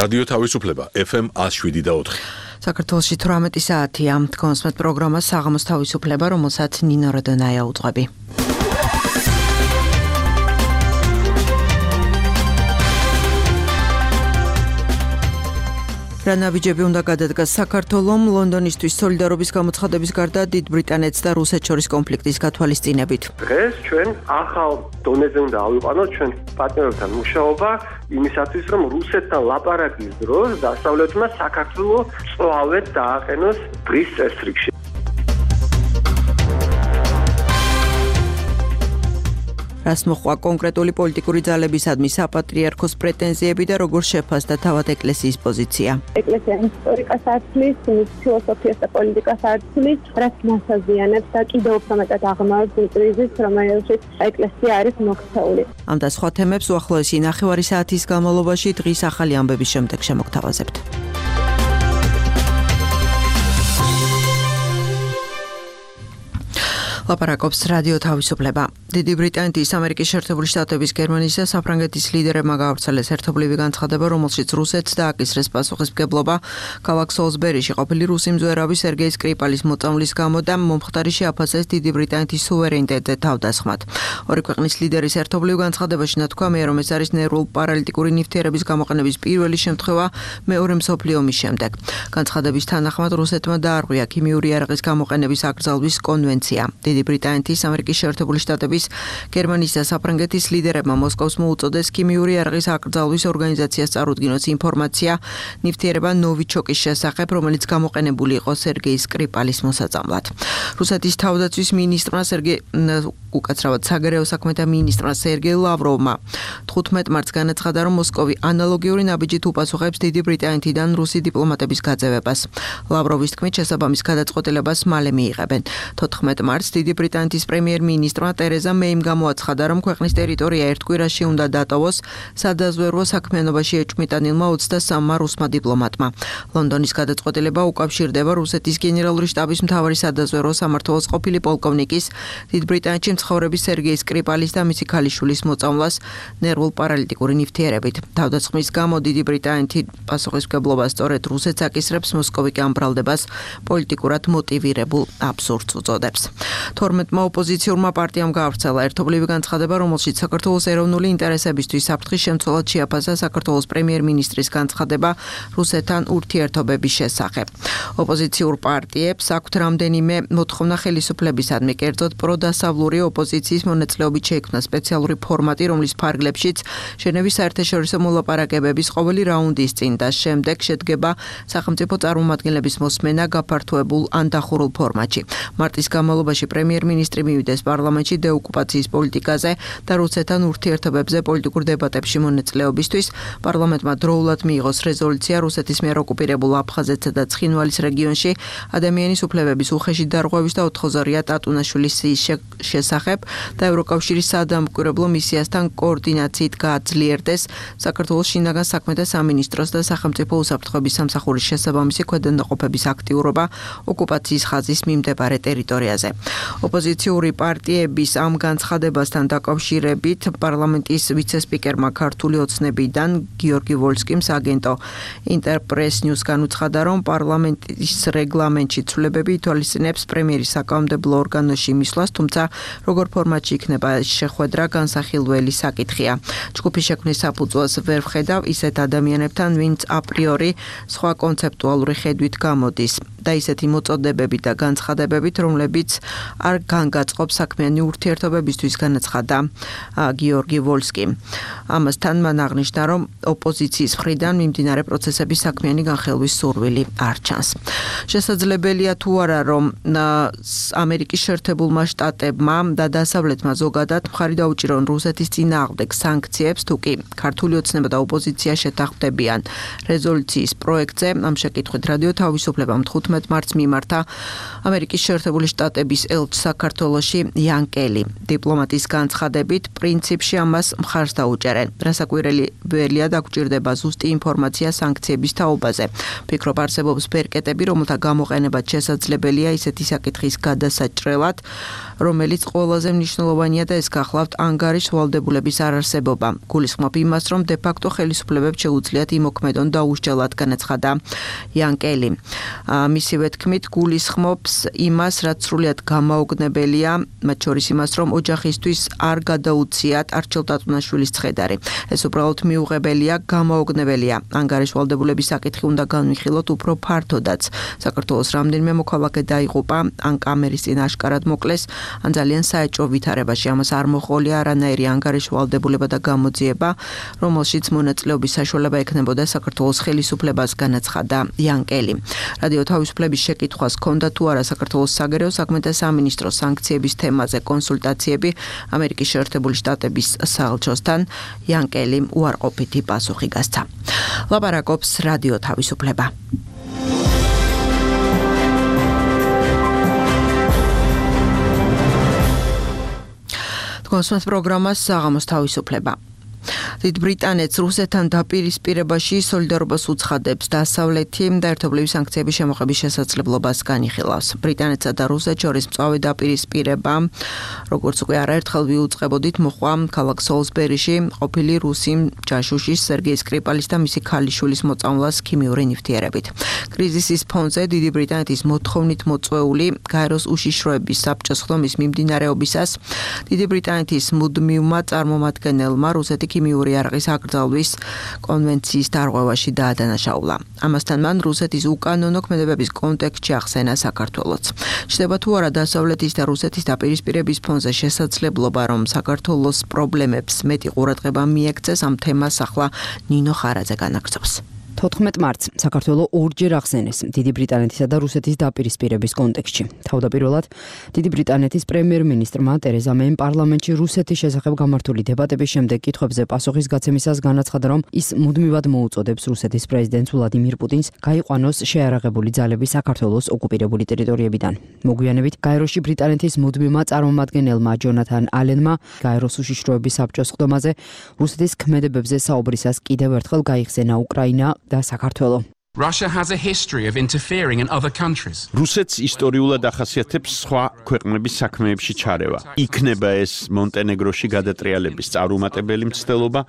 რადიო თავისუფლება FM 107.4. საქართველოში 18 საათია. კონსმეთ პროგრამა საღამოს თავისუფლება, რომელსაც ნინო როდონაია უძღვები. რა ნაბიჯები უნდა გადადგას საქართველომ ლონდონისთვის სოლიდარობის გამოცხადების გარდა დიდ ბრიტანეთს და რუსეთს შორის კონფლიქტის გათვალისწინებით. დღეს ჩვენ ახალ დონეზე უნდა ავიყვანოთ ჩვენ პარტნიორებთან მუშაობა იმისათვის, რომ რუსეთთან ლაპარაკის დროს დასავლეთმა საქართველოს წვავეთ დააყენოს დღის წესრიგში. რას მოხვა კონკრეტული პოლიტიკური ძალებისადმი საპატრიარქოს პრეტენზიები და როგორ შეფასდა თავად ეკლესიის პოზიცია. ეკლესია ისტორიკას აცვლის, ფილოსოფიას და პოლიტიკას აცვლის, რაც მასაზიანებს და კიდევ უფრო მეტად აღმავებს იმ კრიზისს, რომელშიც ეკლესია არის მოქცეული. ამ და სხვა თემებს უახლოესი ნახევარი საათის განმავლობაში დღის ახალი ამბების შემდეგ შემოგთავაზებთ. ლაპარაკობს რადიო თავისუფლება. დიდი ბრიტანეთის, ამერიკის შეერთებული შტატების, გერმანიის და საფრანგეთის ლიდერებმა გაავრცელეს ერთობლივი განცხადება, რომელშიც რუსეთს დააკისრეს პასუხისმგებლობა ქალაქ სოლსბერიში ყოფილი რუსი მძვერავი სერგეი სკრიპალის მოწამვლის გამო და მომხდარი შეაფასეს დიდი ბრიტანეთის სუვერენიტეტზე თავდასხმად. ორი ქვეყნის ლიდერის ერთობლივ განცხადებაში ნათქვამია, რომ ეს არის ნერვულ პარალიტიკური ნივთიერების გამოყენების პირველი შემთხვევა მეორე მსოფლიო ომის შემდეგ. განცხადების თანახმად რუსეთმა დაარღვია ქიმიური იარაღის გამოყენების აკრძალვის კონვენცია. დიდი ბრიტანეთის, ამერიკის შეერთებული შტატების, გერმანიის და საფრანგეთის ლიდერებმა მოსკოვს მოუწოდეს ქიმიური იარაღის აკრძალვის ორგანიზაციას წარუდგინოს ინფორმაცია ნივთიერება ნოვიჩოკის შესახებ, რომელიც გამოყენებული იყო სერგეი სკრიპალის მოსაწამლად. რუსეთის თავდაცვის მინისტრმა საგარეო საქმეთა მინისტრმა სერგეი ლავროვმა 15 მარტს განაცხადა, რომ მოსკოვი ანალოგიური ნაბიჯით უპასუხებს დიდი ბრიტანეთიდან რუსი დიპლომატების გაძევებას. ლავროვის თქმით, შესაბამის გადაწყვეტილებას მალე მიიღებენ. 14 მარტს დიდი ბრიტანეთის პრემიერ-მინისტრმა ტერეზა მეიმ გამოაცხადა, რომ ქვეყნის ტერიტორია ერთ კვირაში უნდა დატოვოს სადაზვერვო საქმიანობაში ეჭვმიტანილმა 23-მა რუსმა დიპლომატმა. ლონდონის გადაწყვეტილება უკავშირდება რუსეთის გენერალური შტაბის მთავარი სადაზვერვო სამმართველოს ყოფილი პოლკოვნიკის დიდ ბრიტანეთში მცხოვრების სერგეი სკრიპალის და მისი ქალიშვილის მოწამვლას ნერვულ პარალიტიკური ნივთიერებით. თავდასხმის გამო დიდი ბრიტანეთი პასუხისმგებლობას სწორედ რუსეთს აკისრებს, მოსკოვი კი ამ ბრალდებას პოლიტიკურად მოტივირებულ აბსურდს უწოდებს. 12-მა ოპოზიციურმა პარტიამ გაავრცელა ერთობლივი განცხადება, რომელშიც საქართველოს ეროვნული ინტერესებისთვის საფრთხის შემცველად შეაფასა საქართველოს პრემიერ-მინისტრის განცხადება რუსეთთან ურთიერთობების შესახებ. ოპოზიციურ პარტიებს აქვთ რამდენიმე მოთხოვნა ხელისუფლებისადმი, კერძოდ პროდასავლური ოპოზიციის მონაწილეობით შეიქმნა სპეციალური ფორმატი, რომლის ფარგლებშიც ჟენევის საერთაშორისო მოლაპარაკებების ყოველი რაუნდის წინ და შემდეგ შედგება სახელმწიფო წარმომადგენლების მოსმენა გაფართოებულ ან დახურულ ფორმატში. მარტის განმავლობაში პრემიერ-მინისტრი მივიდეს პარლამენტში დეოკუპაციის პოლიტიკაზე და რუსეთთან ურთიერთობებზე პოლიტიკურ დებატებში მონაწილეობისთვის. პარლამენტმა დროულად მიიღოს რეზოლუცია რუსეთის მიერ ოკუპირებულ აფხაზეთსა და ცხინვალის რეგიონში ადამიანის უფლებების უხეში დარღვევის და ოთხოზარია ტატუნაშვილის შესახებ და ევროკავშირის საადამკვირვებლო მისიასთან კოორდინაციით გააძლიერდეს საქართველოს შინაგან საქმეთა სამინისტროს და სახელმწიფო უსაფრთხოების სამსახურის შესაბამისი ქვედანაყოფების აქტიურობა ოკუპაციის ხაზის მიმდებარე ტერიტორიაზე. ოპოზიციური პარტიების ამ განცხადებასთან დაკავშირებით პარლამენტის ვიცე-სპიკერმა ქართული ოცნებიდან გიორგი ვოლსკიმ აგენტო ინტერპრეს ნიუს განუცხადა, რომ პარლამენტის რეგლამენტში ცვლილებები ითვალისწინებს პრემიერის საკანონმდებლო ორგანოში მისვლას, თუმცა როგორ ფორმატში იქნება შეხვედრა განსახილველი საკითხია. ჯგუფის შექმნის საფუძველს ვერ ვხედავ ისეთ ადამიანებთან, ვინც აპრიორი სხვა კონცეპტუალური ხედვით გამოდის და ისეთი მოწოდებებით და განცხადებებით, რომლებიც არ განგაწყობს საქმიანი ურთიერთობებისთვის, განაცხადა გიორგი ვოლსკიმ. ამასთან მან აღნიშნა, რომ ოპოზიციის მხრიდან მიმდინარე პროცესების საქმიანი განხილვის სურვილი არ ჩანს. შესაძლებელია თუ არა, რომ ამერიკის შეერთებულმა შტატებმა და დასავლეთმა ზოგადად მხარი დაუჭირონ რუსეთის წინააღმდეგ სანქციებს, თუ კი ქართული ოცნება და ოპოზიცია შეთანხმდებიან რეზოლუციის პროექტზე. ამ შეკითხვით რადიო თავისუფლებამ 15 15 მარტს მიმართა ამერიკის შეერთებული შტატების ელჩი საქართველოში იან კელი. დიპლომატის განცხადებით, პრინციპში ამას მხარს დაუჭერენ. რასაკვირველია დაგვჭირდება ზუსტი ინფორმაცია სანქციების თაობაზე. ფიქრობ არსებობს ბერკეტები, რომელთა გამოყენებაც შესაძლებელია ისეთი საკითხის გადასაჭრელად, რომელიც ყველაზე მნიშვნელოვანია და ეს გახლავთ ანგარიშ ვალდებულების არარსებობა. გულისხმობ იმას, რომ დე-ფაქტო ხელისუფლებებს შეუძლიათ იმოქმედონ დაუსჯელად, განაცხადა იან კელი. მისივე თქმით, გულისხმობს იმას, რაც სრულიად გამაოგნებელია, მათ შორის იმას, რომ ოჯახისთვის არ გადაუციათ არჩილ ტატუნაშვილის ცხედარი. ეს უბრალოდ მიუღებელია, გამაოგნებელია. ანგარიშ ვალდებულების საკითხი უნდა განვიხილოთ უფრო ფართოდაც. საქართველოს რამდენიმე მოქალაქე დაიღუპა, ან კამერის წინ აშკარად მოკლეს, ან ძალიან საეჭვო ვითარებაში. ამას არ მოჰყოლია არანაირი ანგარიშ ვალდებულება და გამოძიება, რომელშიც მონაწილეობის საშუალება ექნებოდა საქართველოს ხელისუფლებას, განაცხადა იან კელი. რადიო თავისუფლების შეკითხვას ჰქონდა თუ არა საქართველოს საგარეო საქმეთა სამინისტროს სანქციების თემაზე კონსულტაციები ამერიკის შეერთებული შტატების საელჩოსთან, იან კელიმ უარყოფითი პასუხი გასცა. ლაპარაკობს რადიო თავისუფლება. კონსულტ პროგრამას საღამოს თავისუფლება. დიდ ბრიტანეთს რუსეთთან დაპირისპირებაში სოლიდარობას უცხადებს დასავლეთი და ერთობლივი სანქციების შემოღების შესაძლებლობას განიხილავს. ბრიტანეთსა და რუსეთს შორის მწვავე დაპირისპირება, როგორც უკვე არაერთხელ ვიუწყებოდით, მოხდა ქალაქ სოლსბერიში ყოფილი რუსი ჯაშუშის სერგეი სკრიპალის და მისი ქალიშვილის მოწამვლას ქიმიური ნივთიერებით. კრიზისის ფონზე დიდი ბრიტანეთის მოთხოვნით მოწვეული გაეროს უშიშროების საბჭოს ხდომის მიმდინარეობისას დიდი ბრიტანეთის მუდმივმა წარმომადგენელმა რუსეთი ქიმიური იარაღის აკრძალვის კონვენციის დარღვევაში დაადანაშაულა. ამასთან მან რუსეთის უკანონო ქმედებების კონტექსტში ახსენა საქართველოც. ჩნდება თუ არა დასავლეთის და რუსეთის დაპირისპირების ფონზე შესაძლებლობა, რომ საქართველოს პრობლემებს მეტი ყურადღება მიექცეს, ამ თემას ახლა ნინო ხარაძე განაგრძობს. 14 მარტს საქართველო ორჯერ ახსენეს დიდი ბრიტანეთისა და რუსეთის დაპირისპირების კონტექსტში. თავდაპირველად დიდი ბრიტანეთის პრემიერ-მინისტრმა ტერეზა მეიმ პარლამენტში რუსეთის შესახებ გამართული დებატების შემდეგ კითხვებზე პასუხის გაცემისას განაცხადა, რომ ის მუდმივად მოუწოდებს რუსეთის პრეზიდენტს ვლადიმირ პუტინს გაიყვანოს შეარაღებული ძალები საქართველოს ოკუპირებული ტერიტორიებიდან. მოგვიანებით გაეროში ბრიტანეთის მუდმივმა წარმომადგენელმა ჯონათან ალენმა გაეროს უშიშროების საბჭოს ხდომაზე რუსეთის ქმედებებზე საუბრისას კიდევ ერთხელ გაიხსენა უკრაინა და საქართველო. Russia has a history of interfering in other countries. რუსეთს ისტორიულად ახასიათებს სხვა ქვეყნების საქმეებში ჩარევა. იქნება ეს მონტენეგროში გადატრიალების წარუმატებელი მცდელობა,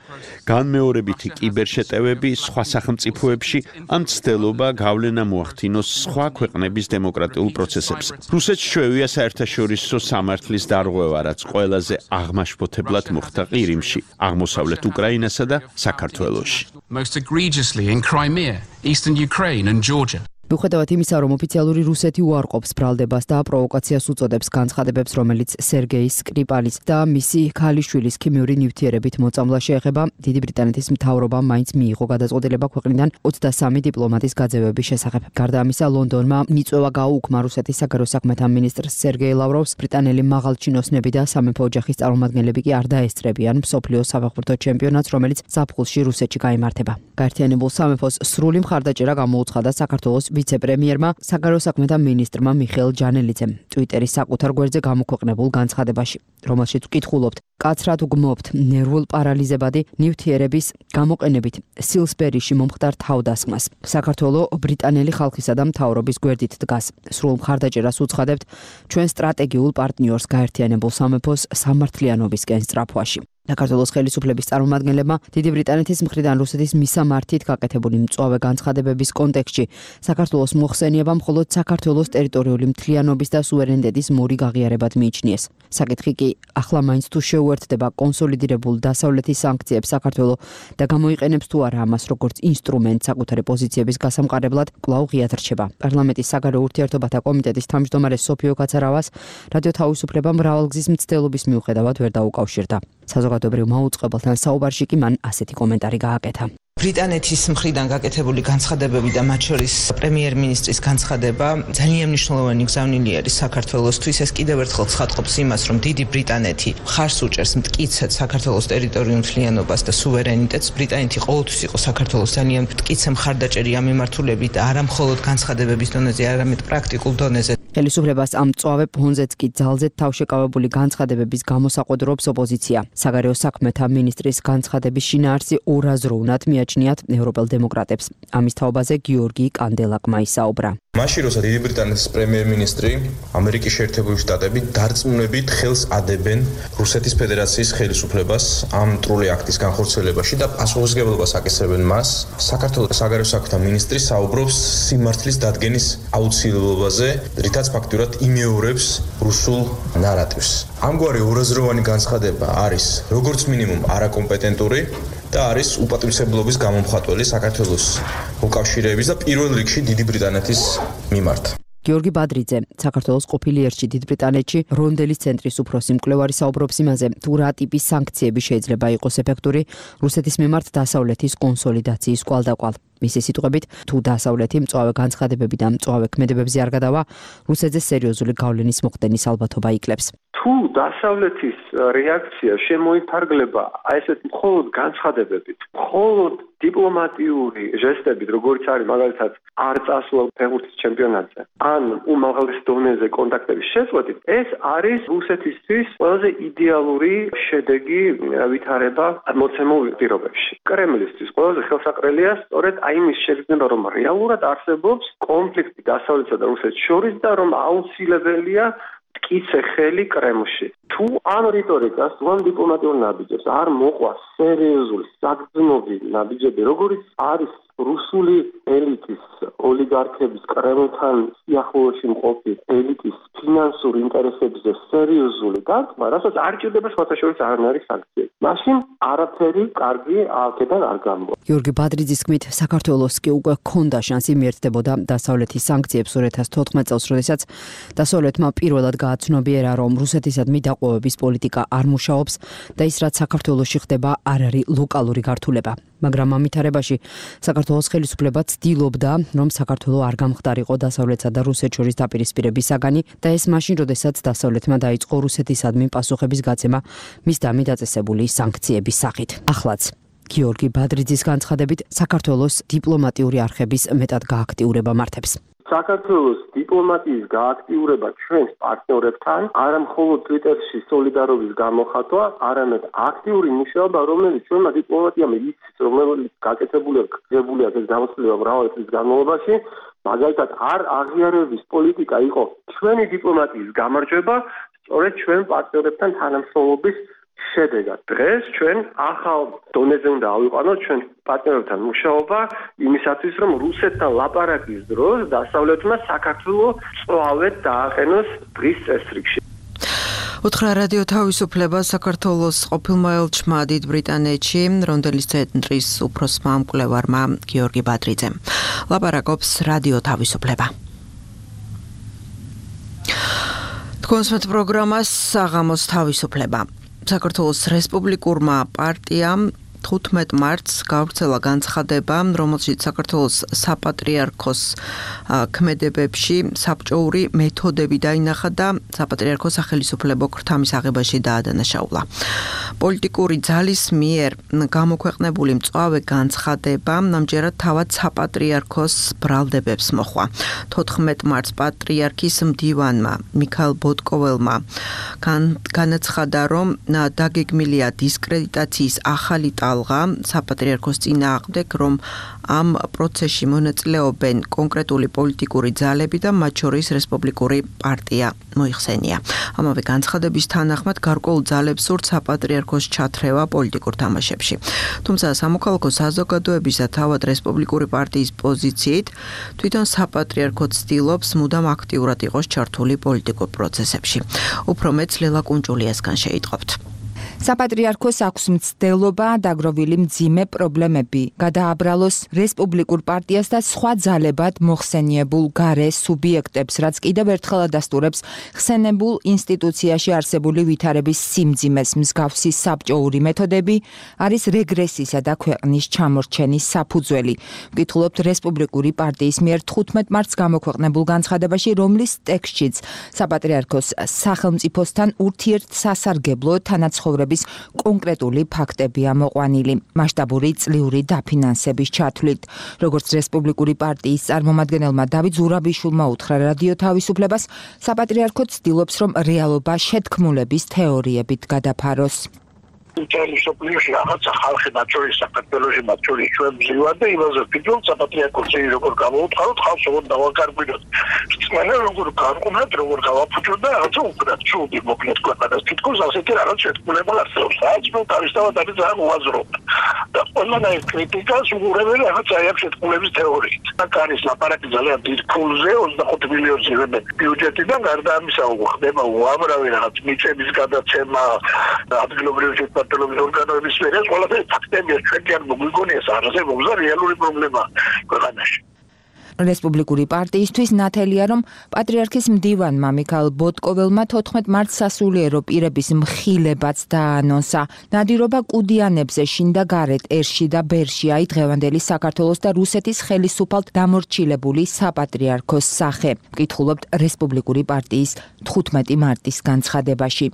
განმეორებითი კიბერშეტევები სხვა სახელმწიფოებში, ან მცდელობა გავლენა მოახდინოს სხვა ქვეყნების დემოკრატიულ პროცესებზე. რუსეთს შეუძლია საერთაშორისო სამართლის დარღვევა, რაც ყველაზე აღმაშფოთებლად მოხდა ყირიმში, აღმოსავლეთ უკრაინასა და საქართველოში. Most egregiously in Crimea, eastern Ukraine and Georgia. მიუხედავად იმისა, რომ ოფიციალური რუსეთი უარყოფს ბრალდებას და პროვოკაციას უწოდებს განცხადებებს, რომელიც სერგეი სკრიპალის და მისი ქალიშვილის ქიმიური ნივთიერებით მოწამვლა შეეხება, დიდი ბრიტანეთის მთავრობამ მაინც მიიღო გადაწყვეტილება ქვეყნიდან 23 დიპლომატის გაძევების შესახებ. გარდა ამისა, ლონდონმა მიწვევა გაუუქმა რუსეთის საგარეო საქმეთა მინისტრს სერგეი ლავროვს, ბრიტანელი მაღალჩინოსნები და სამეფო ოჯახის წარმომადგენლები კი არ დაესწრებიან მსოფლიოს საფეხბურთო ჩემპიონატს, რომელიც ზაფხულში რუსეთში გაიმართება. გაერთიანებულ სამეფოს სრული მხარდაჭერა გამოუცხადა საქართველოს ვიცე-პრემიერმა, საგარეო საქმეთა მინისტრმა მიხეილ ჯანელიძემ ტვიტერის საკუთარ გვერდზე გამოქვეყნებულ განცხადებაში, რომელშიც ვკითხულობთ, კაცრად უგმობთ ნერვულ პარალიზებადი ნივთიერების გამოყენებით სილსბერიში მომხდარ თავდასხმას. საქართველო ბრიტანელი ხალხისა და მთავრობის გვერდით დგას. სრულ მხარდაჭერას უცხადებთ ჩვენ სტრატეგიულ პარტნიორს გაერთიანებულ სამეფოს სამართლიანობისკენ სწრაფვაში. საქართველოს ხელისუფლების წარმომადგენლებმა დიდი ბრიტანეთის მხრიდან რუსეთის მისამართით გაკეთებული მწვავე განცხადებების კონტექსტში საქართველოს მოხსენება მხოლოდ საქართველოს ტერიტორიული მთლიანობის და სუვერენიტეტის მორიგ აღიარებად მიიჩნიეს. საკითხი კი ახლა მაინც თუ შეუერთდება კონსოლიდირებულ დასავლეთის სანქციებს საქართველო და გამოიყენებს თუ არა ამას როგორც ინსტრუმენტს საკუთარი პოზიციების გასამყარებლად, კვლავ ღიად რჩება. პარლამენტის საგარეო ურთიერთობათა კომიტეტის თავმჯდომარე სოფიო კაცარავას რადიო თავისუფლება მრავალგზის მცდელობის მიუხედავად ვერ დაუკავშირდა. საზოგადოებრივ მაუწყებელთან საუბარში კი მან ასეთი კომენტარი გააკეთა. ბრიტანეთის მხრიდან გაკეთებული განცხადებები და მათ შორის პრემიერ-მინისტრის განცხადება ძალიან მნიშვნელოვანი გზავნილი არის საქართველოსთვის. ეს კიდევ ერთხელ ცხადყოფს იმას, რომ დიდი ბრიტანეთი ხარს უჭერს მტკიცედ საქართველოს ტერიტორიულ მთლიანობას და სუვერენიტეტს. ბრიტანეთი ყოველთვის იყო საქართველოს ძალიან მტკიცე მხარდაჭერი ამ მიმართულებით და არა მხოლოდ განცხადებების დონეზე, არამედ პრაქტიკულ დონეზე. ხელისუფლებას ამ მწვავე ფონზეც კი ძალზედ თავშეკავებული განცხადებების გამოსაყოდრობს ოპოზიცია. საგარეო საქმეთა მინისტრის განცხადების შინაარსი ორაზროვნად მიაჩნიათ ევროპელ დემოკრატებს. ამის თაობაზე გიორგი კანდელაკმა ისაუბრა. მაშინ როცა დიდი ბრიტანეთის პრემიერ-მინისტრი ამერიკის შეერთებული შტატები დარწმუნებით ხელს ადებენ რუსეთის ფედერაციის ხელისუფლებას ამ მტრული აქტის განხორციელებაში და პასუხისმგებლობას აკისრებენ მას, საქართველოს საგარეო საქმეთა მინისტრი საუბრობს სიმართლის დადგენის აუცილებლობაზე, რითაც ფაქტურად იმეორებს რუსულ ნარატივს. ამგვარი ორაზროვანი განცხადება არის როგორც მინიმუმ არაკომპეტენტური და არის უპატივისმგებლობის გამომხატველი საქართველოს მოკავშირეების და პირველ რიგში დიდი ბრიტანეთის მიმართ. გიორგი ბადრიძე, საქართველოს ყოფილი ერთში დიდ ბრიტანეთში რონდელის ცენტრის უფროსი მკვლევარი საუბრობს იმაზე, თუ რა ტიპის სანქციები შეიძლება იყოს ეფექტური რუსეთის მიმართ დასავლეთის კონსოლიდაციის კვალდაკვალ. მისი სიტყვებით, თუ დასავლეთი მწვავე განცხადებები და მწვავე ქმედებებზე არ გადავა, რუსეთზე სერიოზული გავლენის მოხდენის ალბათობა იკლებს. თუ დასავლეთის რეაქცია შემოიფარგლება ესეთ მხოლოდ განცხადებებით, მხოლოდ დიპლომატიური ჟესტებით, როგორც არის მაგალითად არ წასვლა ფეხბურთის ჩემპიონატზე, ან უმაღლეს დონეზე კონტაქტების შეწყვეტით, ეს არის რუსეთისთვის ყველაზე იდეალური შედეგი ვითარება მოცემულ პირობებში. კრემლისთვის ყველაზე ხელსაყრელია სწორედ იმის შეგრძნება, რომ რეალურად არსებობს კონფლიქტი დასავლეთსა და რუსეთს შორის და რომ აუცილებელია მტკიცე ხელი კრემლში. თუ ამ რიტორიკას, თუ ამ დიპლომატიურ ნაბიჯებს არ მოყვა სერიოზული საგრძნობი ნაბიჯები, როგორიც არის რუსული ელიტის, ოლიგარქების, კრემლთან სიახლოვეში მყოფი ელიტის ფინანსური ინტერესებზე სერიოზული დარტყმა, რასაც არ ჭირდება სხვათა შორის არანაირი სანქციები. მაშინ არაფერი კარგი აქედან არ გამოვა. გიორგი ბადრიძის თქმით, საქართველოს კი უკვე ჰქონდა შანსი მიერთდებოდა დასავლეთის სანქციებს 2014 წელს, როდესაც დასავლეთმა პირველად გააცნობიერა, რომ რუსეთისადმი დაყოვების პოლიტიკა არ მუშაობს და ის რაც საქართველოში ხდება არ არის ლოკალური გართულება. მაგრამ ამ ვითარებაში საქართველოს ხელისუფლება ცდილობდა, რომ საქართველო არ გამხდარიყო დასავლეთსა და რუსეთს შორის დაპირისპირების საგანი და ეს მაშინ, როდესაც დასავლეთმა დაიწყო რუსეთისადმი პასუხების გაცემა მის დამი დაწესებული სანქციების სახით. ახლაც გიორგი ბადრიძის განცხადებით, საქართველოს დიპლომატიური არხების მეტად გააქტიურება მართებს. საქართველოს დიპლომატიის გააქტიურება ჩვენს პარტნიორებთან არა მხოლოდ Twitter-ში სოლიდარობის გამოხატვა, არამედ აქტიური მუშაობა, რომელიც ჩვენმა დიპლომატიამ იცის, რომელიც გაკეთებულია ეს გამოცდილება მრავალი წლის განმავლობაში, მაგალითად არ აღიარების პოლიტიკა იყო ჩვენი დიპლომატიის გამარჯვება, სწორედ ჩვენ პარტნიორებთან თანამშრომლობის შედეგად. დღეს ჩვენ ახალ დონეზე უნდა ავიყვანოთ ჩვენ პარტნიორებთან მუშაობა იმისათვის, რომ რუსეთთან ლაპარაკის დროს დასავლეთმა საქართველოს წვავეთ დააყენოს დღის წესრიგში. უთხრა რადიო თავისუფლება საქართველოს ყოფილმა ელჩმა დიდ ბრიტანეთში რონდელის ცენტრის უფროსმა მკვლევარმა გიორგი ბადრიძემ. ლაპარაკობს რადიო თავისუფლება. თქვენსმეთ პროგრამას საღამოს თავისუფლება. საქართველოს რესპუბლიკურმა პარტიამ 15 მარტს გავრცელა განცხადება, რომელშიც საქართველოს საპატრიარქოს ქმედებებში საბჭოური მეთოდები დაინახა და საპატრიარქოს სახელისუფლებო ქრთამის აღებაში დაადანაშაულა. პოლიტიკური ძალის მიერ გამოქვეყნებული მწვავე განცხადება ამჯერად თავად საპატრიარქოს ბრალდებებს მოჰყვა. 14 მარტს პატრიარქის მდივანმა მიქაელ ბოტკოველმა განაცხადა, რომ დაგეგმილია დისკრედიტაციის ახალი საპატრიარქოს წინააღმდეგ, რომ ამ პროცესში მონაწილეობენ კონკრეტული პოლიტიკური ძალები და მათ შორის რესპუბლიკური პარტია მოიხსენია. ამავე განცხადების თანახმად გარკვეულ ძალებს სურთ საპატრიარქოს ჩათრევა პოლიტიკურ თამაშებში. თუმცა სამოქალაქო საზოგადოების და თავად რესპუბლიკური პარტიის პოზიციით თვითონ საპატრიარქო ცდილობს მუდამ აქტიურად იყოს ჩართული პოლიტიკურ პროცესებში. უფრო მეც ლელა კუნჭულიასგან შეიტყობთ. საპატრიარქოს აქვს მცდელობა დაგროვილი მძიმე პრობლემები, გადააბრალოს რესპუბლიკურ პარტიას და სხვა ძალებად მოხსენიებულ გარე სუბიექტებს, რაც კიდევ ერთხელ ადასტურებს ხსენებულ ინსტიტუციაში არსებული ვითარების სიმძიმეს. მსგავსი საბჭოური მეთოდები არის რეგრესისა და ქვეყნის ჩამორჩენის საფუძველი. ვკითხულობთ რესპუბლიკური პარტიის მიერ 15 მარტს გამოქვეყნებულ განცხადებაში, რომლის ტექსტშიც საპატრიარქოს სახელმწიფოსთან ურთიერთსასარგებლო თანაცხოვრების კონკრეტული ფაქტებია მოყვანილი მასშტაბური წლიური დაფინანსების ჩათვლით. როგორც რესპუბლიკური პარტიის წარმომადგენელმა დავით ზურაბიშვილმა უთხრა რადიო თავისუფლებას, საპატრიარქო ცდილობს, რომ რეალობა შეთქმულების თეორიებით გადაფაროს. Italia სოფლიოში რაღაცა ხალხი მათ შორის საქართველოში მათ შორის ჩვენ ვზივართ და იმაზე ვფიქრობ საპატრიარქოში როგორ გავაუთხაროთ ხალხს როგორ დავაკარგვინოთ სწორედ როგორ გავყვნათ როგორ გავაფუჭოთ და რაღაცა უკრათ ჩუდი მოკლედ ქვეყანას თითქოს ასეთი რაღაც შეთქმულება არსებობს რაც მე თავისთავად არის ძალიან უაზრობ და ყველანაირ კრიტიკას უღურებენ რაღაც აი ამ შეთქმულების თეორიით აქ არის ლაპარაკი ძალიან დიდ ფულზე 25 მილიონზე ბიუჯეტიდან გარდა ამისა ხდება უამრავი რაღაც მიწების გადაცემა ადგილობრივი პარტიების ორგანოების სფეროს ყველაფერი ფაქტებია ჩვენ კი არ მოგვიგონია არასდროს და რეალური პრობლემა ქვეყანაში. რესპუბლიკური პარტიისთვის ნათელია, რომ პატრიარქის მდივანმა მიქაელ ბოტკოველმა 14 მარტს სასულიერო პირების მხილებაც დაანონსა. ნადირობა კუდიანებზე შინ და გარეთ ერში და ბერში აი დღევანდელი საქართველოს და რუსეთის ხელისუფალთ დამორჩილებული საპატრიარქოს სახე. ვკითხულობთ რესპუბლიკური პარტიის 15 მარტის განცხადებაში.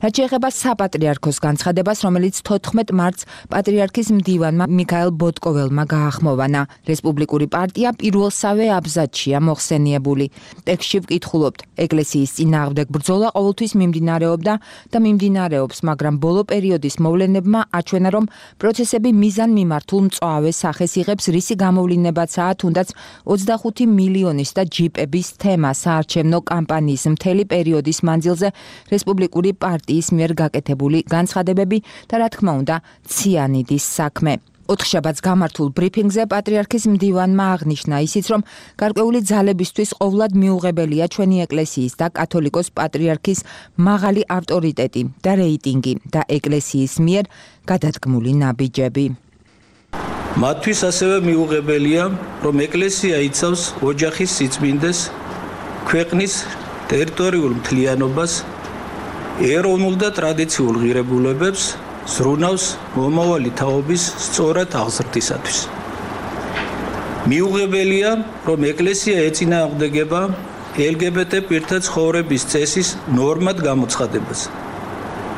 რაც შეეხება საპატრიარქოს განცხადებას, რომელიც 14 მარტს პატრიარქის მდივანმა მიქაელ ბოტკოველმა გაახმოვანა. რესპუბლიკური პარტია პირველსავე აბზაცშია მოხსენიებული. ტექსტში ვკითხულობთ, ეკლესიის წინააღმდეგ ბრძოლა ყოველთვის მიმდინარეობდა და მიმდინარეობს, მაგრამ ბოლო პერიოდის მოვლენებმა აჩვენა, რომ პროცესები მიზანმიმართულ მწვავე სახეს იღებს, რისი გამოვლინებაცაა თუნდაც 25 მილიონის და ჯიპების თემა საარჩევნო კამპანიის მთელი პერიოდის მანძილზე რესპუბლიკური პარტიის მიერ გაკეთებული განცხადებები და რა თქმა უნდა ციანიდის საქმე. 4 შაბათს გამართულ ბრიფინგზე პატრიარქის მდივანმა აღნიშნა ისიც, რომ გარკვეული ძალებისთვის ყოვლად მიუღებელია ჩვენი ეკლესიის და კათოლიკოს პატრიარქის მაღალი ავტორიტეტი და რეიტინგი და ეკლესიის მიერ გადადგმული ნაბიჯები. მათთვის ასევე მიუღებელია, რომ ეკლესია იცავს ოჯახის სიწმინდეს, ქვეყნის ტერიტორიულ მთლიანობას, ეროვნულ და ტრადიციულ ღირებულებებს, ზრუნავს მომავალი თაობის სწორად აღზრდისათვის. მიუღებელია, რომ ეკლესია ეწინააღმდეგება LGBT პირთა ცხოვრების წესის ნორმად გამოცხადებას.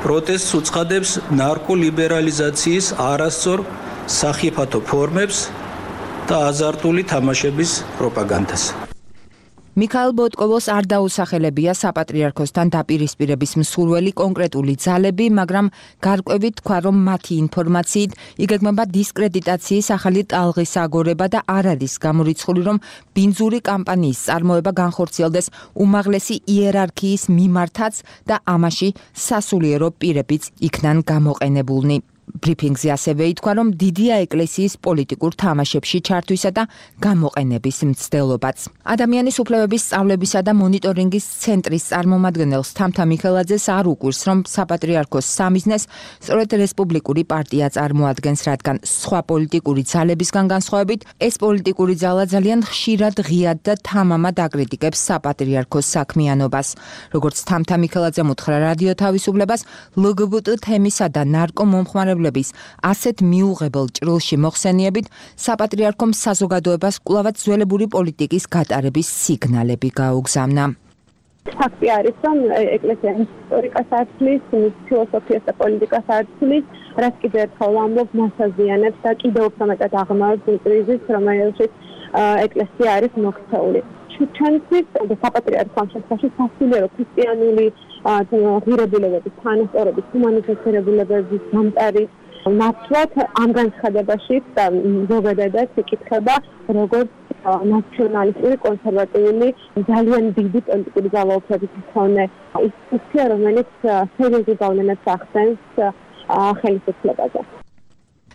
პროტესტს უწყადებს ნარკოლიბერალიზაციის არასწორ სახიფათო ფორმებს და აზარტული თამაშების პროპაგანდას. მიქაელ ბოტკოველს არ დაუსახელებია საპატრიარქოსთან დაპირისპირების მსურველი კონკრეტული ძალები, მაგრამ გარკვევით თქვა, რომ მათი ინფორმაციით იგეგმება დისკრედიტაციის ახალი ტალღის აგორება და არ არის გამორიცხული, რომ ბინძური კამპანიის წარმოება განხორციელდეს უმაღლესი იერარქიის მიმართაც და ამაში სასულიერო პირებიც იქნან გამოყენებულნი. ბრიფინგზე ასევე ითქვა, რომ დიდია ეკლესიის პოლიტიკურ თამაშებში ჩართვისა და გამოყენების მცდელობაც. ადამიანის უფლებების სწავლებისა და მონიტორინგის ცენტრის წარმომადგენელს თამთა მიხელაძეს არ უკვირს, რომ საპატრიარქოს სამიზნეს სწორედ რესპუბლიკური პარტია წარმოადგენს, რადგან სხვა პოლიტიკური ძალებისგან განსხვავებით, ეს პოლიტიკური ძალა ძალიან ხშირად ღიად და თამამად აკრიტიკებს საპატრიარქოს საქმიანობას. როგორც თამთა მიხელაძემ უთხრა რადიო თავისუფლებას, LGBT თემისა და ნარკომომხმარებლების ასეთ მიუღებელ ჭრილში მოხსენიებით საპატრიარქომ საზოგადოებას კვლავაც ძველებური პოლიტიკის გატარების სიგნალები გაუგზავნა. ფაქტი არის, რომ ეკლესია ისტორიკას აცვლის, ფილოსოფიას და პოლიტიკას აცვლის, რაც კიდევ ერთხელ ამბობს, მას აზიანებს და კიდევ უფრო მეტად აღმავებს კრიზისს, რომელშიც ეკლესია არის მოქცეული. ჩვენთვის საპატრიარქო ამ შემთხვევაში სასულიერო ქრისტიანული ღირებულებების, თანასწორობის, ჰუმანიტარული ღირებულებების დამტარი ნაცვლად ამ განცხადებაში და ზოგადადაც იკითხება როგორც ნაციონალისტური კონსერვატიული ძალიან დიდი პოლიტიკური ძალაუფლების მქონე ინსტიტუცია, რომელიც სერიოზულ გავლენას ახდენს ხელისუფლებაზე.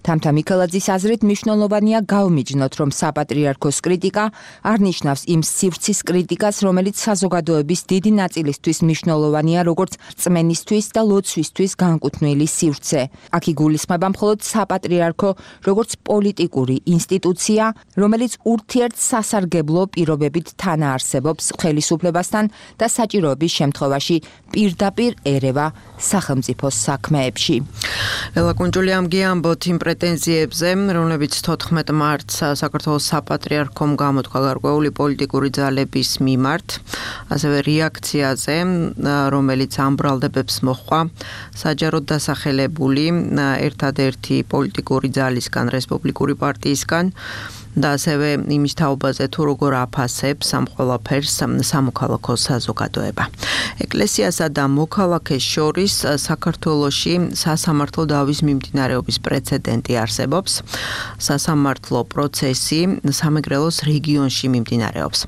თამთა მიქელაძის აზრით მნიშვნელოვანია გავმიჯნოთ, რომ საპატრიარქოს კრიტიკა არ ნიშნავს იმ სივრცის კრიტიკას, რომელიც საზოგადოების დიდი ნაწილისთვის მნიშვნელოვანია, როგორც რწმენისთვის და ლოცვისთვის განკუთვნილი სივრცე. აქ იგულისხმება მხოლოდ საპატრიარქო, როგორც პოლიტიკური ინსტიტუცია, რომელიც ურთიერთსასარგებლო პირობებით თანაარსებობს ხელისუფლებასთან და საჭიროების შემთხვევაში პირდაპირ ერევა სახელმწიფოს საქმეებში. ელა კუნჯული ამგიამბოთ იმ პრეტენზიებზე, რომლებიც 14 მარტს საქართველოს საპატრიარქომ გამოთქვა გარკვეული პოლიტიკური ძალების მიმართ, ასევე რეაქციაზე, რომელიც ამ ბრალდებებს მოჰყვა საჯაროდ დასახელებული ერთადერთი პოლიტიკური ძალისგან, რესპუბლიკური პარტიისგან და ასევე იმის თაობაზე თუ როგორ აფასებს ამ ყველაფერს სამოქალაქო საზოგადოება. ეკლესიასა და მოქალაქეს შორის საქართველოში სასამართლო დავის მიმდინარეობის პრეცედენტი არსებობს. სასამართლო პროცესი სამეგრელოს რეგიონში მიმდინარეობს.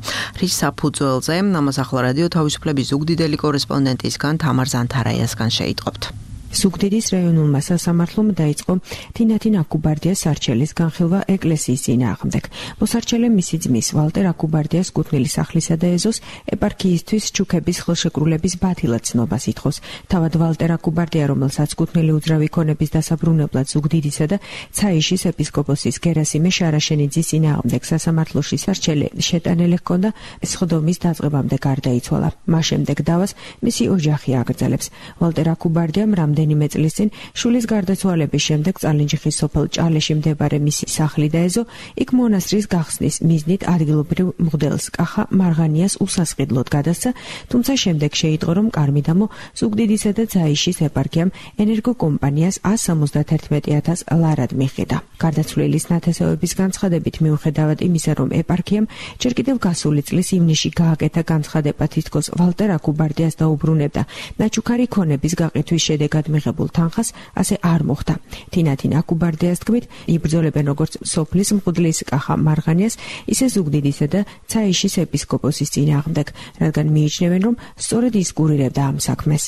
რის საფუძველზე ამას ახლა რადიო თავისუფლების ზუგდიდელი კორესპონდენტისგან თამარ ზანთარაიასგან შეიტყობთ. ზუგდიდის რაიონულმა სასამართლომ დაიწყო თინათინ აკუბარდიას სარჩელის განხილვა ეკლესიის წინააღმდეგ. მოსარჩელე მისი ძმის ვალტერ აკუბარდიას კუთვნილი სახლისა და ეზოს ეპარქიისთვის ჩუქების ხელშეკრულების ბათილად ცნობას ითხოვს. თავად ვალტერ აკუბარდია, რომელსაც კუთვნილი უძრავი ქონების დასაბრუნებლად ზუგდიდისა და ცაიშის ეპისკოპოსის გერასიმე შარაშენიძის წინააღმდეგ სასამართლოში სარჩელი შეტანილი ჰქონდა, სხდომის დაწყებამდე გარდაიცვალა. მას შემდეგ დავას მისი ოჯახი აგრძელებს. ვალტერ აკუბარდიამ რამდენიმე წლის წინ შვილის გარდაცვალების შემდეგ წალენჯიხის სოფელ ჭალეში მდებარე მისი სახლი და ეზო იქ მონასტრის გახსნის მიზნით ადგილობრივ მღვდელს კახა მარღანიას უსასყიდლოდ გადასცა, თუმცა შემდეგ შეიტყო, რომ კარმიდამო ზუგდიდისა და ცაიშის ეპარქიამ ენერგოკომპანიას 171,000 ლარად მიხიდა. გარდაცვლილის ნათესავების განცხადებით, მიუხედავად იმისა, რომ ეპარქიამ ჯერ კიდევ გასული წლის ივნისში გააკეთა განცხადება, თითქოს ვალტერ აკუბარდიას დაუბრუნებდა ნაჩუქარი ქონების გაყიდვის შედეგად მიღებულ თანხას, ასე არ მოხდა. თინათინ აკუბარდიას თქმით, იბრძოლებენ როგორც სოფლის მღვდლის კახა მარღანიას, ისე ზუგდიდისა და ცაიშის ეპისკოპოსის წინააღმდეგ, რადგან მიიჩნევენ, რომ სწორედ ის კურირებდა ამ საქმეს.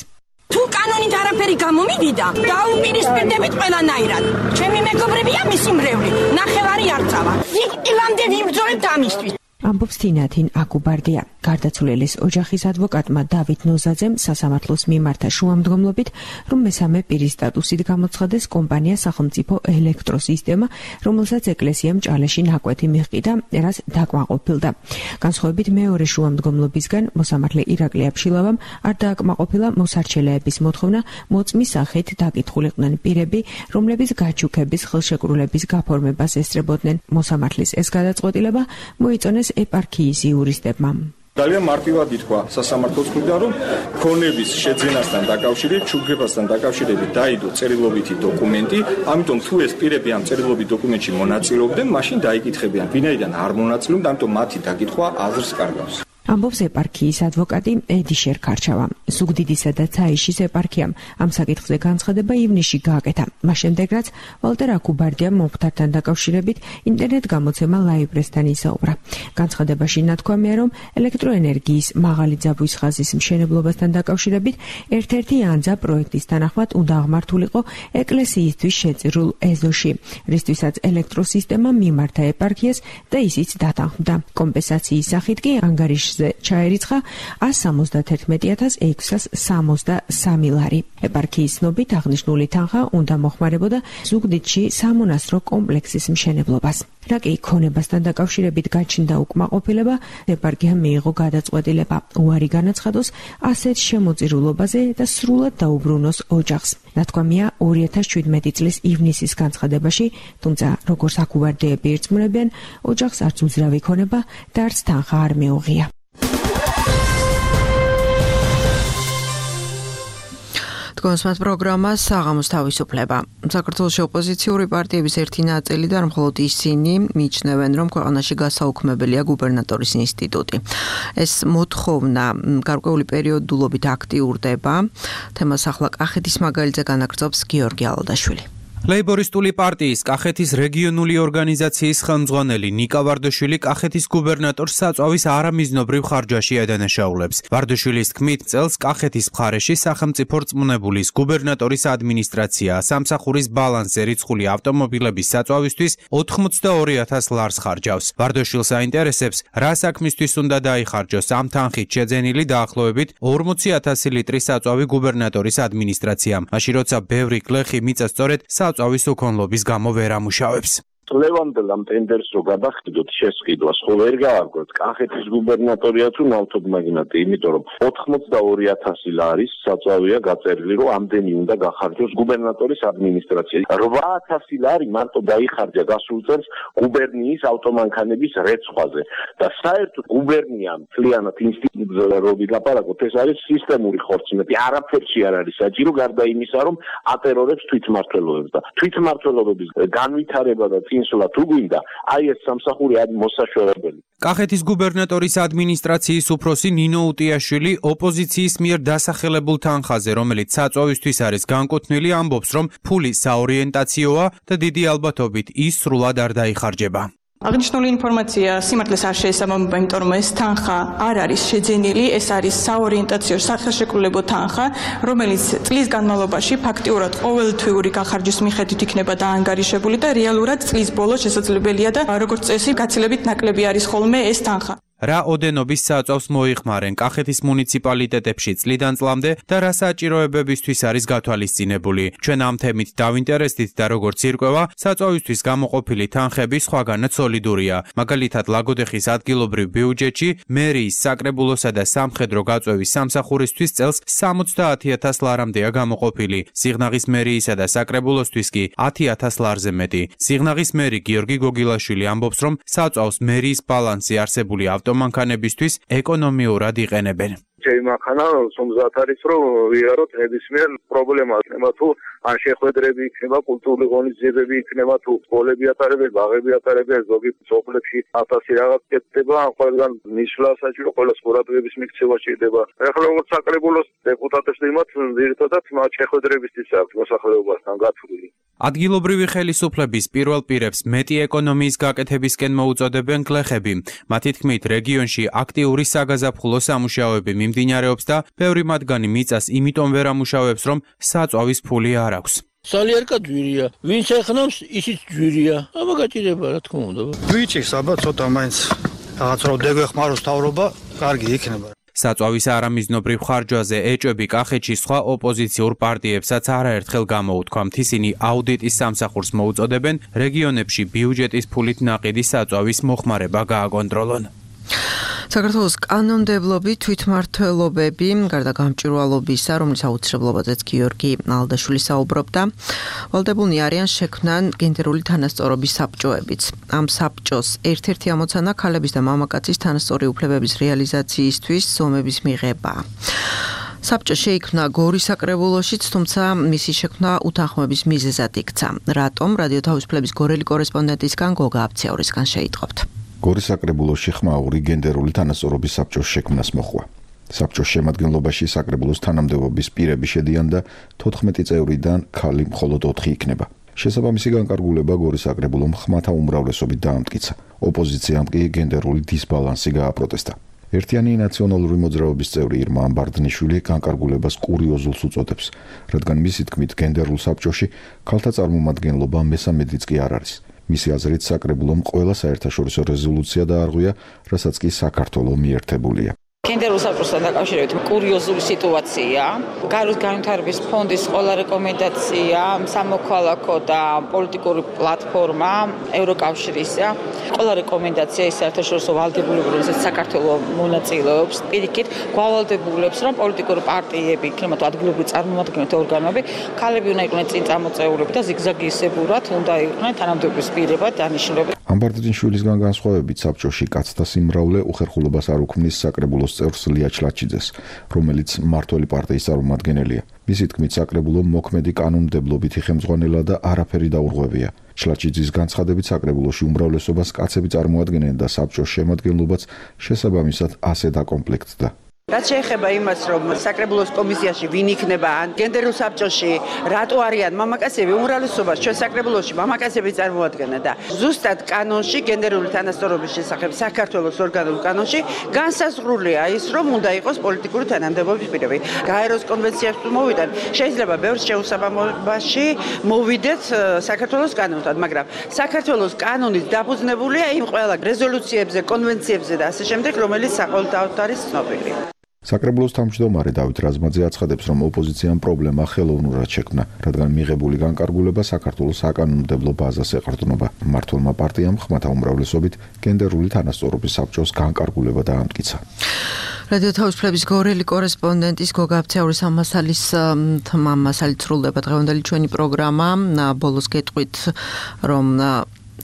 თუ კანონით არაფერი გამომივიდა, დაუპირისპირდებით ყველანაირად. ჩემი მეგობრებია მისი მრევლი, ნახევარი არ წავა. ვიკვდილამდე ვიბრძოლებთ ამისთვის. ამბობს თინათინ აკუბარდია. გარდაცვლილის ოჯახის ადვოკატმა დავით ნოზაძემ სასამართლოს მიმართა შუამდგომლობით, რომ მესამე პირის სტატუსით გამოცხადეს კომპანია სახელმწიფო ელექტროსისტემა, რომელსაც ეკლესიამ ჭალეში ნაკვეთი მიჰყიდა, რაც დაკმაყოფილდა. განსხვავებით მეორე შუამდგომლობისგან, მოსამართლე ირაკლი აბშილავამ არ დააკმაყოფილა მოსარჩელეების მოთხოვნა მოწმის სახით დაკითხულიყვნენ პირები, რომლებიც გაჩუქების ხელშეკრულების გაფორმებას ესწრებოდნენ. მოსამართლის ეს გადაწყვეტილება მოიწონეს ეპარქიის იურისტებმა. ძალიან მარტივად ითქვა სასამართლოს მხრიდან, რომ ქონების შეძენასთან დაკავშირებით, ჩუქებასთან დაკავშირებით დაიდო წერილობითი დოკუმენტი, ამიტომ თუ ეს პირები ამ წერილობით დოკუმენტში მონაწილეობდნენ, მაშინ დაიკითხებიან. ვინაიდან არ მონაწილეობდნენ, ამიტომ მათი დაკითხვა აზრს კარგავს. ამბობს ეპარქიის ადვოკატი ედი შერქარჩავა. ზუგდიდისა და ცაიშის ეპარქიამ ამ საკითხზე განცხადება ივნისში გააკეთა. მას შემდეგ, რაც ვალტერ აკუბარდიამ მომხდართან დაკავშირებით ინტერნეტ გამოცემა ლაიბრესთან ისაუბრა. განცხადებაში ნათქვამია, რომ ელექტროენერგიის მაღალი ძაბვის ხაზის მშენებლობასთან დაკავშირებით ერთ-ერთი ანძა პროექტის თანახმად უნდა აღმართულიყო ეკლესიისთვის შეწირულ ეზოში, რისთვისაც ელექტროსისტემა მიმართა ეპარქიას და ისიც დათანხმდა. კომპენსაციის სახით კი ანგარიშ ჩაერიცხა 171,663 ლარი. ეპარქიის ცნობით აღნიშნული თანხა უნდა მოხმარებოდა ზუგდიდში სამონასტრო კომპლექსის მშენებლობას. რაკი ქონებასთან დაკავშირებით გაჩნდა უკმაყოფილება, ეპარქიამ მიიღო გადაწყვეტილება უარი განაცხადოს ასეთ შემოწირულობაზე და სრულად დაუბრუნოს ოჯახს. ნათქვამია 2017 წლის ივნისის განცხადებაში, თუმცა როგორც აკუბარდიები ირწმუნებიან, ოჯახს არც უძრავი ქონება და არც თანხა არ მიუღია. კონსმათ პროგრამა საღამოს თავისუფლება. საქართველოს ოპოზიციური პარტიების ერთი ნაწილი და მხოლოდ ისინი მიიჩნევენ, რომ ქვეყანაში გასაუქმებელია გუბერნატორის ინსტიტუტი. ეს მოთხოვნა გარკვეული პერიოდულობით აქტიურდება. თემას ახლა კახეთის მაგალითზე განაგრძობს გიორგი ალოდაშვილი. ლეიბორისტული პარტიის კახეთის რეგიონული ორგანიზაციის ხელმძღვანელი ნიკა ვარდაშვილი კახეთის გუბერნატორს საწვავის არამიზნობრივ ხარჯაში ედანაშაულებს. ვარდაშვილის თქმით, წელს კახეთის მხარეში სახელმწიფო რწმუნებულის გუბერნატორის ადმინისტრაცია სამსახურის ბალანსზე რიცხული ავტომობილების საწვავისთვის 82,000 ლარს ხარჯავს. ვარდაშვილს აინტერესებს, რა საქმისთვის უნდა დაიხარჯოს ამ თანხით შეძენილი დაახლოებით 40,000 ლიტრის საწვავი გუბერნატორის ადმინისტრაციამ. მაშინ როცა ბევრი გლეხი მიწა სწორედ საწვავის უქონლობის გამო ვერ ამუშავებს. წლევანდელ ამ ტენდერს რო გადახდიდოთ შესყიდვას, ხო ვერ გააგვეთ კახეთის გუბერნატორია თუ ნავთობ მაგნატი, იმიტომ რომ 82,000 ლარის საწვავია გაწერილი, რომ ამდენი უნდა გახარჯოს გუბერნატორის ადმინისტრაცია. 8,000 ლარი მარტო დაიხარჯა გასულ წელს გუბერნიის ავტომანქანების რეცხვაზე და საერთოდ გუბერნიამ მთლიანად ინსტიტუტზე რო ვილაპარაკოთ, ეს არის სისტემური ხორცმეტი, არაფერში არ არის საჭირო გარდა იმისა, რომ ატერორებს თვითმმართველობებს და თვითმმართველობების განვითარება და ინსულა თუ გვინდა, აი ეს სამსახური არის მოსაშვერებელი. კახეთის გუბერნატორის ადმინისტრაციის უფროსი ნინო უტიაშვილი ოპოზიციის მიერ დასახელებულ თანხაზე, რომელიც საწვავისთვის არის განკუთვნილი, ამბობს, რომ ფული საორიენტაციოა და დიდი ალბათობით ის სრულად არ დაიხარჯება. აღნიშნული ინფორმაცია სიმართლეს არ შეესაბამება, იმიტომ რომ ეს თანხა არ არის შეძენილი, ეს არის საორიენტაციო სახელშეკრულებო თანხა, რომელიც წლის განმავლობაში ფაქტიურად ყოველთვიური გახარჯვის მიხედვით იქნება დაანგარიშებული და რეალურად წლის ბოლოს შესაძლებელია და როგორც წესი გაცილებით ნაკლები არის ხოლმე ეს თანხა. რა ოდენობის საწვავს მოიხმარენ კახეთის მუნიციპალიტეტებში წლიდან წლამდე და რა საჭიროებებისთვის არის გათვალისწინებული. ჩვენ ამ თემით დავინტერესდით და როგორც ირკვევა, საწვავისთვის გამოყოფილი თანხები სხვაგანაც სოლიდურია. მაგალითად, ლაგოდეხის ადგილობრივ ბიუჯეტში მერიის საკრებულოსა და სამხედრო გაწვევის სამსახურისთვის წელს 70,000 ლარამდეა გამოყოფილი. სიღნაღის მერიისა და საკრებულოსთვის კი 10,000 ლარზე მეტი. სიღნაღის მერი გიორგი გოგილაშვილი ამბობს, რომ საწვავს მერიის ბალანსი არსებული ავტომანქანებისთვის ეკონომიურად იყენებენ. ჩემი მანქანა სომზათ არის, რომ ვიაროთ ნებისმიერ პრობლემას, იქნება თუ ან შეხვედრები იქნება, კულტურული ღონისძიებები იქნება, თუ სკოლები ატარებენ, ბაღები ატარებენ, ზოგი სოფლებში 1000 რაღაც კეთდება, ან ყველგან ნიშლა საჭირო, ყველა ყურადღების მიქცევა შეიძლება. ეხლა როგორც საკრებულოს დეპუტატებს იმათ ძირითადად მათ შეხვედრებისთვის აქვს მოსახლეობასთან გათვლილი. ადგილობრივი ხელისუფლების პირველ პირებს მეტი ეკონომიის გაკეთებისკენ მოუწოდებენ გლეხები. მათი თქმით, რეგიონში აქტიური საგაზაფხულო სამუშაოები მიმდინარეობს და ბევრი მათგანი მიწას იმიტომ ვერ ამუშავებს, რომ საწვავის ფული არ აქვს. სალიერკა ჯვირია, ვინც ეხნავს, ისიც ჯვირია. აბა გაჭირება, რა თქმა უნდა. გვიჭირს, აბა ცოტა მაინც რაღაც რო დეგეხმაროს თავრობა, კარგი იქნება. საწვავის არამიზნობრივ ხარჯვაზე ეჭვები კახეთში სხვა ოპოზიციურ პარტიებსაც არაერთხელ გამოუთქვამთ. ისინი აუდიტის სამსახურს მოუწოდებენ რეგიონებში ბიუჯეტის ფულით ნაყიდი საწვავის მოხმარება გააკონტროლონ. საქართველოს კანონმდებლობი თვითმმართველობები გარდა გამჭვირვალობისა, რომლის აუცილებლობაზეც გიორგი ალდაშვილი საუბრობდა, ვალდებულნი არიან შექმნან გენდერული თანასწორობის საბჭოებიც. ამ საბჭოს ერთ-ერთი ამოცანა ქალების და მამაკაცის თანასწორი უფლებების რეალიზაციისთვის ზომების მიღება. საბჭო შეიქმნა გორის საკრებულოშიც, თუმცა მისი შექმნა უთანხმოების მიზეზად იქცა. რატომ? რადიო თავისუფლების გორელი კორესპონდენტისგან გოგა აფციაურისგან შეიტყობთ. გორის საკრებულოში ხმაური გენდერული თანასწორობის საბჭოს შექმნას მოხდა. საბჭოს შემადგენლობაში საკრებულოს თანამდებობის პირები შედიან და 14 წევრიდან ქალი მხოლოდ 4 იქნება. შესაბამისი განკარგულება გორის საკრებულომ ხმათა უმრავლესობით დაამტკიცა. ოპოზიციამ კი გენდერული დისბალანსი გააპროტესტა. ერთიანი ნაციონალური მოძრაობის წევრი ირმა ამბარდნიშვილი განკარგულებას კურიოზულს უწოდებს, რადგან მისი თქმით გენდერულ საბჭოში ქალთა წარმომადგენლობა მესამედიც კი არ არის. მისი აზრით საკრებულომ ყველა საერთაშორისო რეზოლუცია დაარღვია, რასაც კი საქართველო მიერთებულია. გენდერულ საბჭოსთან დაკავშირებით კურიოზული სიტუაცია, გარეთ განვითარების ფონდის ყველა რეკომენდაცია, სამოქალაქო და პოლიტიკური პლატფორმა ევროკავშირისა, ყველა რეკომენდაცია ის საერთაშორისო ვალდებულებები, რომელსაც საქართველო მონაწილეობს, პირიქით გვავალდებულებს, რომ პოლიტიკური პარტიები, იქნება თუ ადგილობრივი წარმომადგენლთა ორგანოები, ქალები უნდა იყვნენ წინ წამოწევრები და ზიგზაგისებურად უნდა იყვნენ თანამდებობის პირებად დანიშნულები. ამბარდნიშვილისგან განსხვავებით საბჭოში კაცთა სიმრავლე უხერხულობას არ უქმნის საკრებულოს წევრს ლია ჩლაჩიძეს, რომელიც მმართველი პარტიის წარმომადგენელია. მისი თქმით, საკრებულო მოქმედი კანონმდებლობითი ხელმძღვანელა და არაფერი დაურღვევია. ჩლაჩიძის განცხადებით, საკრებულოში უმრავლესობას კაცები წარმოადგენენ და საბჭოს შემადგენლობაც შესაბამისად ასე დაკომპლექტდა. რაც შეეხება იმას, რომ საკრებულოს კომისიაში ვინ იქნება ან გენდერულ საბჭოში რატო არიან მამაკაცები, უმრავლესობას ჩვენ საკრებულოში მამაკაცები წარმოადგენენ და ზუსტად კანონში გენდერული თანასწორობის შესახებ საქართველოს ორგანულ კანონში განსაზღვრულია ის, რომ უნდა იყოს პოლიტიკური თანამდებობის პირები. გაეროს კონვენციაში თუ მოვიდეთ, შეიძლება ბევრ შეუსაბამობაში მოვიდეთ საქართველოს კანონთან, მაგრამ საქართველოს კანონით დაფუძნებულია იმ ყველა რეზოლუციებზე, კონვენციებზე და ასე შემდეგ, რომელიც საყოველთაოდ არის ცნობილი. საკრებულოს თავმჯდომარე დავით რაზმაძე აცხადებს, რომ ოპოზიციამ პრობლემა ხელოვნურად შექმნა, რადგან მიღებული განკარგულება საქართველოს საკანონმდებლო ბაზას ეყრდნობა. მმართველმა პარტიამ ხმათა უმრავლესობით გენდერული თანასწორობის საბჭოს განკარგულება დაამტკიცა. რადიო თავისუფლების გორელი კორესპონდენტის გოგა აფცეურის ამასალის თმამასალი ცრულდება დღევანდელი ჩვენი პროგრამა. ბოლოს გეტყვით, რომ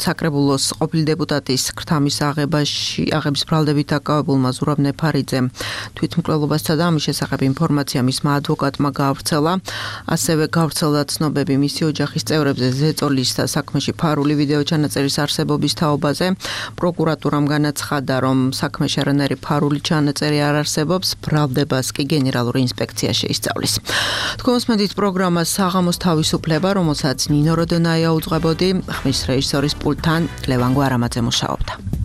საკრებულოს ყოფილი დეპუტატის ქრთამის აღების ბრალდებით დაკავებულმა ზურაბ ნეფარიძემ თვითმკვლელობასა და ამის შესახებ ინფორმაცია მისმა ადვოკატმა გაავრცელა. ასევე გავრცელდა ცნობები მისი ოჯახის წევრებზე ზეწოლის საქმეში ფარული ვიდეო ჩანაწერის არსებობის თაობაზე. პროკურატურამ განაცხადა, რომ საქმეში არანაირი ფარული ჩანაწერი არ არსებობს, ბრალდებას კი გენერალური ინსპექცია შეისწავლის. თქვენსმენთ პროგრამა საღამოს თავისუფლება, რომელსაც ნინო როდონაია უძღვებოდი, ხმის რეჟისორის პულტთან ლევან გვარამაძე მუშაობდა.